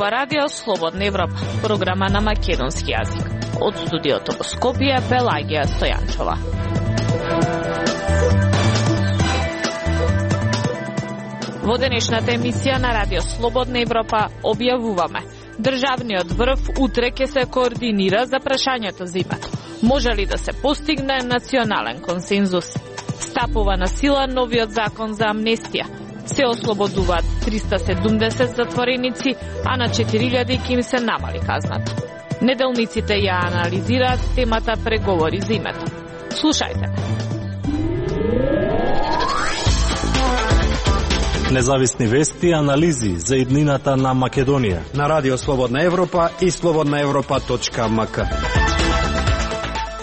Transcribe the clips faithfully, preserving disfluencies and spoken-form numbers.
зборува Радио Слободна Европа, програма на македонски јазик. Од студиото во Скопје, Пелагија Стојанчова. Во денешната емисија на Радио Слободна Европа објавуваме: државниот врв утре ќе се координира за прашањето за името. Може ли да се постигне национален консензус? Стапува на сила новиот закон за амнестија. Се ослободуваат триста седумдесет затвореници, а на четири илјади ќе им се намали казната. Неделниците ја анализираат темата преговори за името. Слушајте. Независни вести и анализи за иднината на Македонија на Радио Слободна Европа и слободна европа точка ем ка.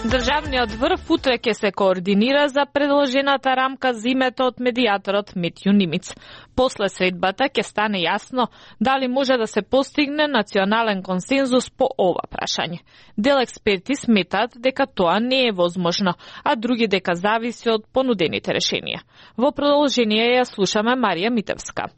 Државниот врв утре ќе се координира за предложената рамка за името од медијаторот Митју Нимиц. После средбата ќе стане јасно дали може да се постигне национален консензус по ова прашање. Дел експерти сметаат дека тоа не е возможно, а други дека зависи од понудените решенија. Во продолжение ја слушаме Марија Митевска.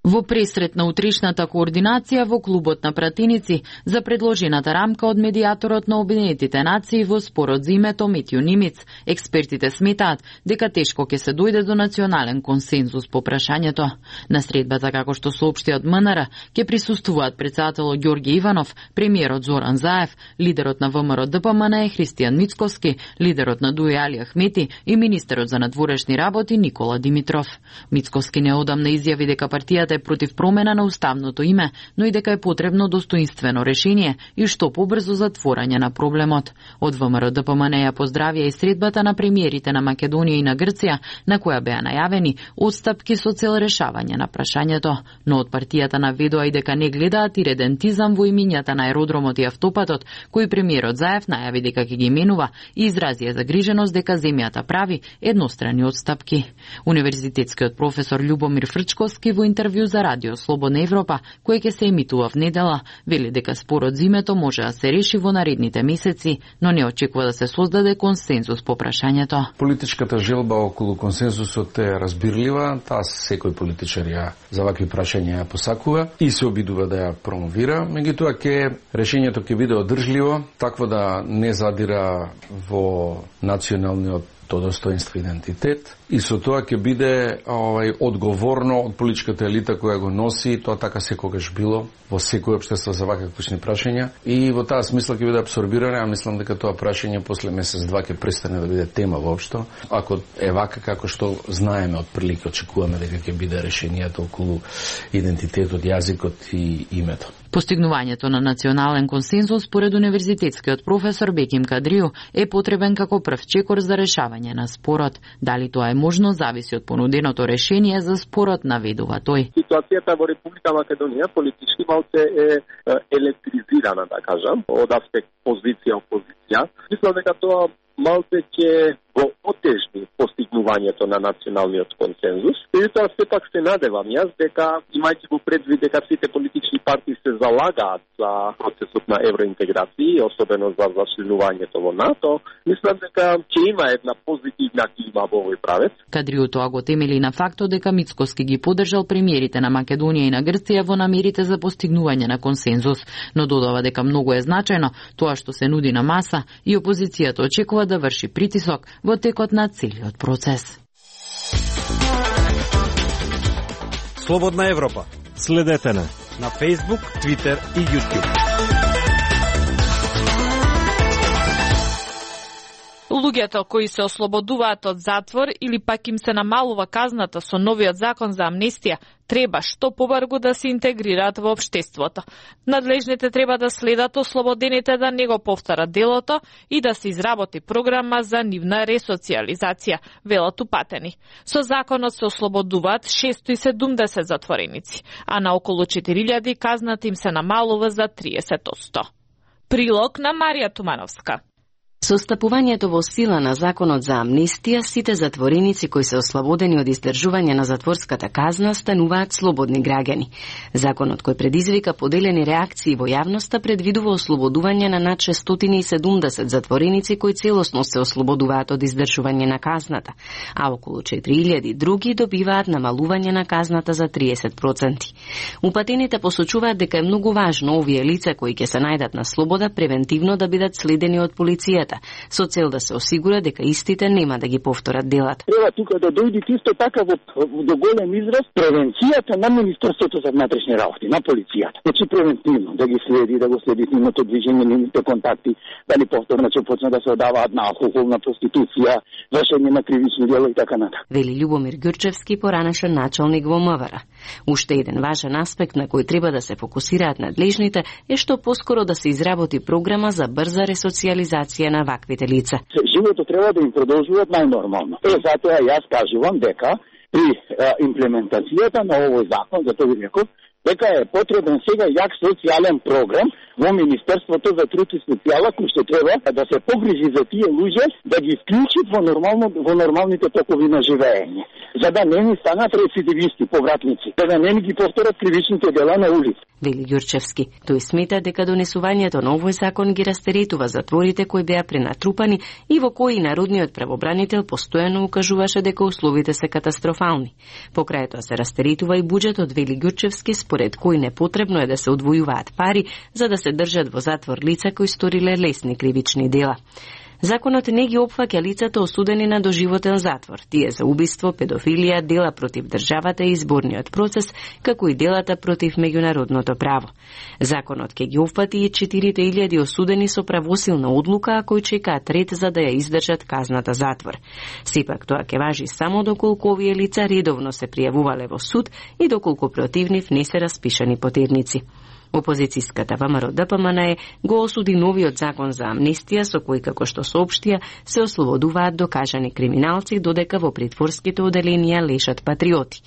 Во пресрет на утрешната координација во клубот на пратеници за предложената рамка од медијаторот на Обединетите нации во спорот за името Митју Нимиц, експертите сметаат дека тешко ќе се дојде до национален консензус по прашањето. На средбата, како што соопшти од ем ен ар, ќе присуствуваат председателот Ѓорѓе Иванов, премиерот Зоран Заев, лидерот на Вэ Ем Р Д П М Н Христијан Мицкоски, лидерот на Дуј Али Ахмети и министерот за надворешни работи Никола Димитров. Мицкоски неодамна изјави дека партијата е против промена на уставното име, но и дека е потребно достоинствено решение и што побрзо затворање на проблемот. Од Вэ Ем Р Д П М Н ја поздравија и средбата на премиерите на Македонија и на Грција, на која беа најавени отстапки со цел решавање на прашањето, но од партијата наведоа и дека не гледаат иредентизам во имињата на аеродромот и автопатот, кој премиерот Заев најави дека ќе ги менува и изразија загриженост дека земјата прави еднострани отстапки. Универзитетскиот професор Љубомир Фрчковски во интервју за Радио Слободна Европа, кој ќе се емитува в недела, вели дека спорот за името може да се реши во наредните месеци, но не очекува да се создаде консензус по прашањето. Политичката желба околу консензусот е разбирлива, таа секој политичар ја за вакви прашања ја посакува и се обидува да ја промовира, меѓутоа ќе решењето ќе биде одржливо, такво да не задира во националниот достоинство и идентитет и со тоа ќе биде овај одговорно од политичката елита која го носи, тоа така секогаш било во секој општество за вакви клучни прашања и во таа смисла ќе биде абсорбирано, а мислам дека тоа прашање после месец-два ќе престане да биде тема воопшто, ако е вака како што знаеме од прилика, очекуваме дека ќе биде решенијата околу идентитетот, јазикот и името. Постигнувањето на национален консензус според универзитетскиот професор Беким Кадрију е потребен како прв чекор за решавање на спорот. Дали тоа е можно зависи од понуденото решение за спорот, наведува тој. Ситуацијата во Република Македонија политички малце е електризирана, да кажам, од аспект позиција опозиција. Мислам дека тоа малце ќе го отежни постигнувањето на националниот консензус. И тоа сепак се надевам јас дека, имајќи го предвид дека сите политички партии се залагаат за процесот на евроинтеграција, особено за зачленувањето во НАТО, мислам дека ќе има една позитивна клима во овој правец. Кадрију тоа го темели на фактот дека Мицкоски ги поддржал премиерите на Македонија и на Грција во намерите за постигнување на консензус, но додава дека многу е значајно тоа што се нуди на маса и опозицијата очекува да врши притисок во текот на целиот процес. Слободна Европа. Следете на на Facebook, Twitter и YouTube. Луѓето кои се ослободуваат од затвор или пак им се намалува казната со новиот закон за амнестија, треба што побрзо да се интегрираат во општеството. Надлежните треба да следат ослободените да не го повторат делото и да се изработи програма за нивна ресоциализација, велат упатени. Со законот се ослободуваат шестоста и седумдесет затвореници, а на околу четири илјади казната им се намалува за триесет одсто. Прилог на Марија Тумановска. Со стапувањето во сила на законот за амнестија, сите затвореници кои се ослободени од издржување на затворската казна стануваат слободни граѓани. Законот кој предизвика поделени реакции во јавноста предвидува ослободување на над шестстотини и седумдесет затвореници кои целосно се ослободуваат од издржување на казната, а околу четири илјади други добиваат намалување на казната за триесет проценти. Упатените посочуваат дека е многу важно овие лица кои ќе се најдат на слобода превентивно да бидат следени од полицијата, со цел да се осигура дека истите нема да ги повторат делата. Треба тука да дојде исто така во, до голем израз превенцијата на Министерството за внатрешни работи, на полицијата. Значи превентивно да ги следи, да го следи нивното движење, нивните контакти, дали повторно ќе почне да се одаваат на алкохол, на проституција, вршење на кривични дела и така натаму. Вели Љубомир Ѓурчевски, поранешен началник во МВР. Уште еден важен аспект на кој треба да се фокусираат надлежните е што поскоро да се изработи програма за брза ресоциализација на ваквите лица. Животот треба да им продолжуваат најнормално. Е, затоа јас кажувам дека при а, имплементацијата на овој закон, за тоа ви реков, дека е потребен сега јак социјален програм во Министерството за труд и социјала, кој што треба да се погрижи за тие луѓе, да ги вклучи во нормално во нормалните токови на живење, за да не ни станат рецидивисти, повратници, за да не ни ги повторат кривичните дела на улица. Вели Ѓурчевски. Тој смета дека донесувањето на овој закон ги растеретува затворите кои беа пренатрупани и во кои народниот правобранител постојано укажуваше дека условите се катастрофални. Покрај тоа се растеретува и буџетот, вели Ѓурчевски, според кој непотребно е да се одвојуваат пари за да се држат во затвор лица кои сториле лесни кривични дела. Законот не ги опфаќа лицата осудени на доживотен затвор, тие за убиство, педофилија, дела против државата и изборниот процес, како и делата против меѓународното право. Законот ќе ги опфати и четири илјади осудени со правосилна одлука, а кои чекаат ред за да ја издржат казната затвор. Сепак тоа ќе важи само доколку овие лица редовно се пријавувале во суд и доколку против нив не се распишани потерници. Опозицијската ВМРО Д П М Н го осуди новиот закон за амнестија со кој, како што соопштија, се ослободуваат докажани криминалци, додека во притворските оделенија лежат патриоти.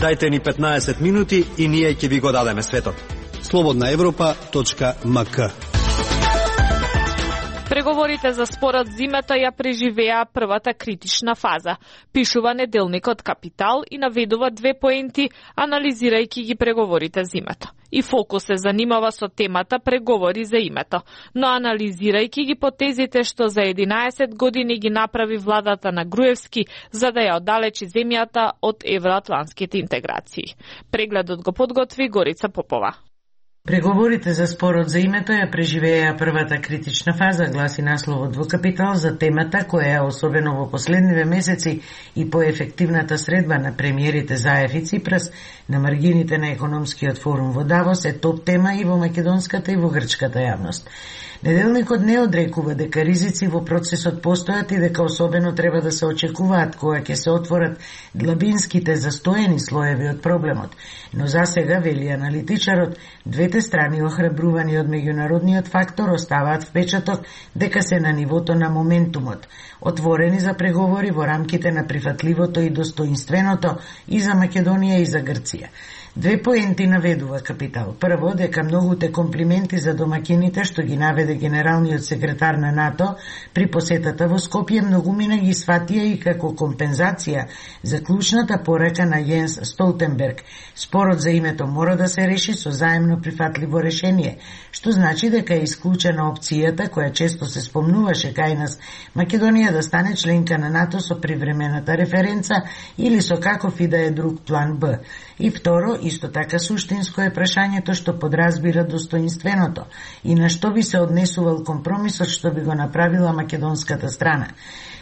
Дајте ни петнаесет минути и ние ќе ви го дадеме светот. слободна европа точка м к. Преговорите за спорот зимата ја преживеа првата критична фаза, пишува неделникот Капитал и наведува две поенти, анализирајќи ги преговорите зимата. И фокус се занимава со темата преговори за името, но анализирајќи ги потезите што за единаесет години ги направи владата на Груевски за да ја оддалечи земјата од евроатлантските интеграции. Прегледот го подготви Горица Попова. Преговорите за спорот за името ја преживеа првата критична фаза, гласи насловот во Капитал за темата која е особено во последниве месеци и по ефективната средба на премиерите Заев и Ципрас на маргините на економскиот форум во Давос е топ тема и во македонската и во грчката јавност. Неделникот не одрекува дека ризици во процесот постојат и дека особено треба да се очекуваат кога ќе се отворат длабинските застоени слоеви од проблемот. Но засега, вели аналитичарот, двете страни охрабрувани од меѓународниот фактор оставаат впечаток дека се на нивото на моментумот, отворени за преговори во рамките на прифатливото и достоинственото и за Македонија и за Грција. Две поенти наведува Капитал. Прво, дека многуте комплименти за домакините што ги наведе генералниот секретар на НАТО при посетата во Скопје многумина ги сватија и како компензација за клучната порака на Јенс Столтенберг. Спорот за името мора да се реши со заемно прифатливо решение, што значи дека е исклучена опцијата која често се спомнуваше кај нас, Македонија да стане членка на НАТО со привремената референца или со каков и да е друг план Б. И второ, исто така суштинско е прашањето што подразбира достоинственото и на што би се однесувал компромисот што би го направила македонската страна.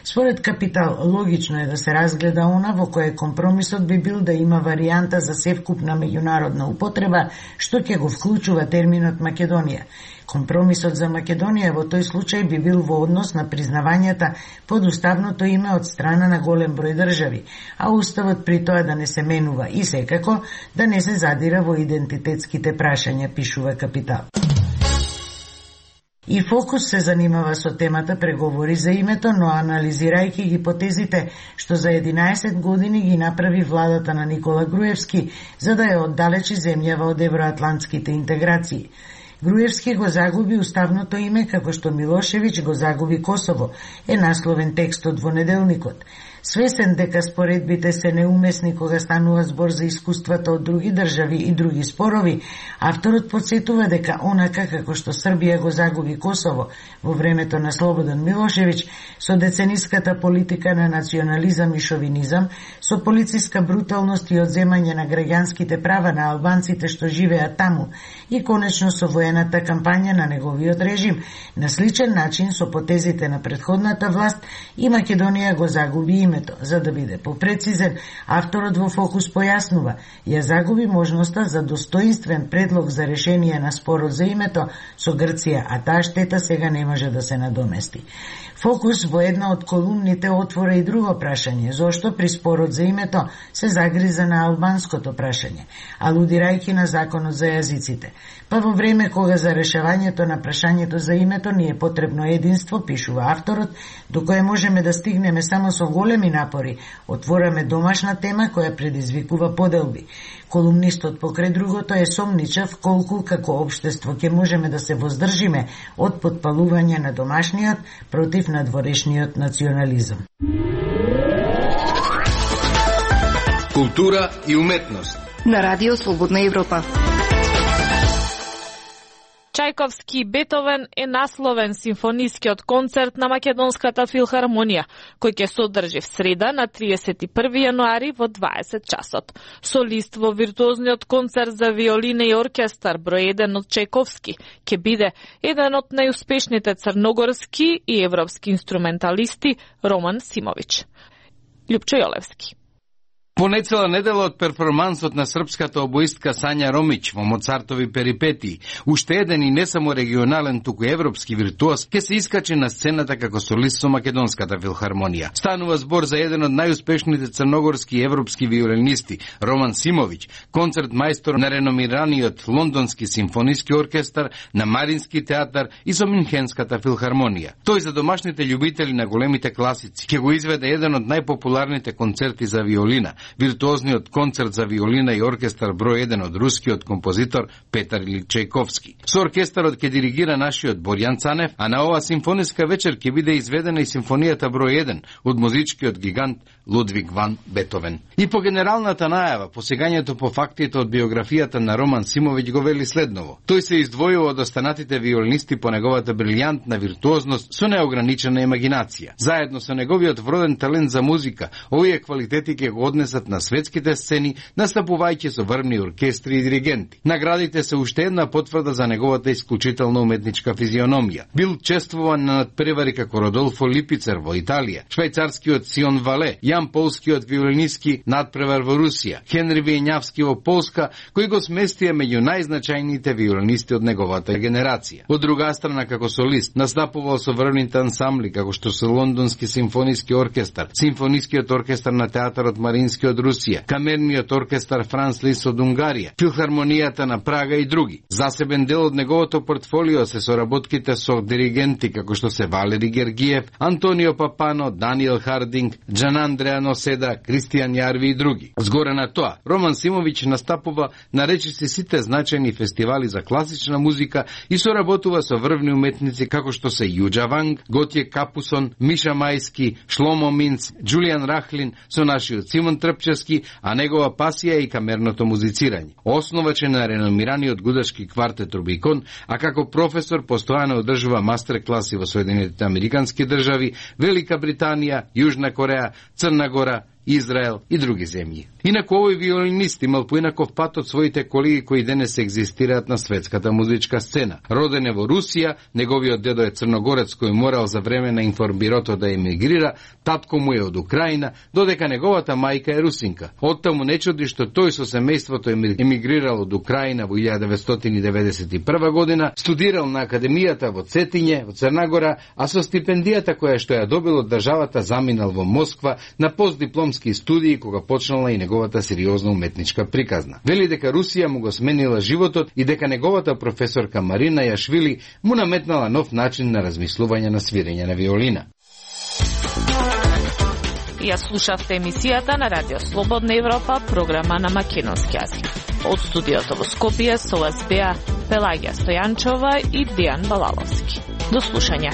Според Капитал, логично е да се разгледа она во кое компромисот би бил да има варијанта за севкупна меѓународна употреба, што ќе го вклучува терминот Македонија. Компромисот за Македонија во тој случај би бил во однос на признавањата под уставното име од страна на голем број држави, а уставот при тоа да не се менува и секако да не се задира во идентитетските прашања, пишува Капитал. И Фокус се занимава со темата преговори за името, но анализирајќи гипотезите што за единаесет години ги направи владата на Никола Груевски за да ја оддалечи земјава од евроатлантските интеграции. Груевски го загуби уставното име како што Милошевиќ го загуби Косово, е насловен текстот во неделникот. Свесен дека споредбите се неумесни кога станува збор за искуствата од други држави и други спорови, авторот подсетува дека онака како што Србија го загуби Косово во времето на Слободан Милошевиќ, со децениската политика на национализам и шовинизам, со полициска бруталност и одземање на граѓанските права на албанците што живеат таму и конечно со воената кампања на неговиот режим, на сличен начин со потезите на претходната власт и Македонија го загуби името. За да биде попрецизен, авторот во Фокус појаснува, ја загуби можноста за достоинствен предлог за решение на спорот за името со Грција, а таа штета сега не може да се надомести. Фокус во една од колумните отвора и друго прашање, зошто при спорот за името се загриза на албанското прашање, алудирајќи на законот за јазиците. Па во време кога за решавањето на прашањето за името ни е потребно единство, пишува авторот, до кое можеме да стигнеме само со големи напори, отвораме домашна тема која предизвикува поделби. Колумнистот покрај другото е сомничав колку како општество ќе можеме да се воздржиме од потпалување на домашниот против надворешниот национализам. Култура и уметност на Радио Слободна Европа. Чајковски Бетовен е насловен симфонискиот концерт на Македонската филхармонија, кој ќе се одржи в среда на триесет и први јануари во дваесет часот. Солист во виртуозниот концерт за виолина и оркестар број еден од Чајковски ќе биде еден од најуспешните црногорски и европски инструменталисти Роман Симовиќ. Љупчо Јолевски. По нецела недела од перформансот на српската обоистка Сања Ромиќ во Моцартови перипетии, уште еден и не само регионален, туку европски виртуоз ќе се искачи на сцената како солист со Македонската филхармонија. Станува збор за еден од најуспешните црногорски и европски виолинисти, Роман Симовиќ, концерт мајстор на реномираниот Лондонски симфониски оркестар, на Марински театар и со Мюнхенската филхармонија. Тој за домашните љубители на големите класици ќе го изведе еден од најпопуларните концерти за виолина, виртуозниот концерт за виолина и оркестар број еден од рускиот композитор Петар Илич Чајковски. Со оркестарот ќе диригира нашиот Борјан Цанев, а на оваа симфониска вечер ќе биде изведена и симфонијата број еден од музичкиот гигант Лудвиг ван Бетовен. И по генералната најава, посегањето по фактите од биографијата на Роман Симовиќ го вели следново. Тој се издвојува од останатите виолинисти по неговата брилјантна виртуозност со неограничена имагинација. Заедно со неговиот вроден талент за музика, овие квалитети ќе го однесат на светските сцени, настапувајќи со врвни оркестри и диригенти. Наградите се уште една потврда за неговата исклучителна уметничка физиономија. Бил чествуван на надпревари како Родолфо Липицер во Италија, швајцарскиот Сион Вале, Јан Полскиот виолиниски надпревар во Русија, Хенри Вијењавски во Полска, кои го сместија меѓу најзначајните виолинисти од неговата генерација. Од друга страна, како солист, настапувал со врвните ансамбли, како што се Лондонски симфониски оркестар, Симфонискиот оркестар на театарот Марински од Русија, Камерниот оркестар Франц Лис од Унгарија, Филхармонијата на Прага и други. Засебен дел од неговото портфолио се соработките со диригенти како што се Валери Гергиев, Антонио Папано, Даниел Хардинг, Джан Андреа Носеда, Кристијан Јарви и други. Згоре на тоа, Роман Симовиќ настапува на речиси сите значајни фестивали за класична музика и соработува со врвни уметници како што се Јуџа Ванг, Готје Капусон, Миша Мајски, Шломо Минц, Џулијан Рахлин, со нашиот Симон Трпчевски, а негова пасија и камерното музицирање. Основач е на реномираниот гудашки квартет Рубикон, а како професор постојано одржува мастер-класи во Соединетите Американски држави, Велика Британија, Јужна Кореја, Црна Гора, Израел и други земји. Инаку овој виолинист имал поинаков пат од своите колеги кои денес екзистираат на светската музичка сцена. Роден е во Русија, неговиот дедо е црногорец кој морал за време на информбирото да емигрира, татко му е од Украина, додека неговата мајка е русинка. Оттаму не чуди што тој со семејството емигрирал од Украина во илјада деветстотини деветдесет и прва година, студирал на Академијата во Цетиње, во Црна Гора, а со стипендијата која што ја добил од државата заминал во Москва на постдипломски студии кога почнала и неговата сериозна уметничка приказна. Вели дека Русија му го сменила животот и дека неговата професорка Марина Јашвили му наметнала нов начин на размислување на свирење на виолина. Ја слушавте емисијата на Радио Слободна Европа, програма на македонски јазик. Од студиото во Скопје со вас беа Пелагија Стојанчова и Дијан Балаловски. До слушање.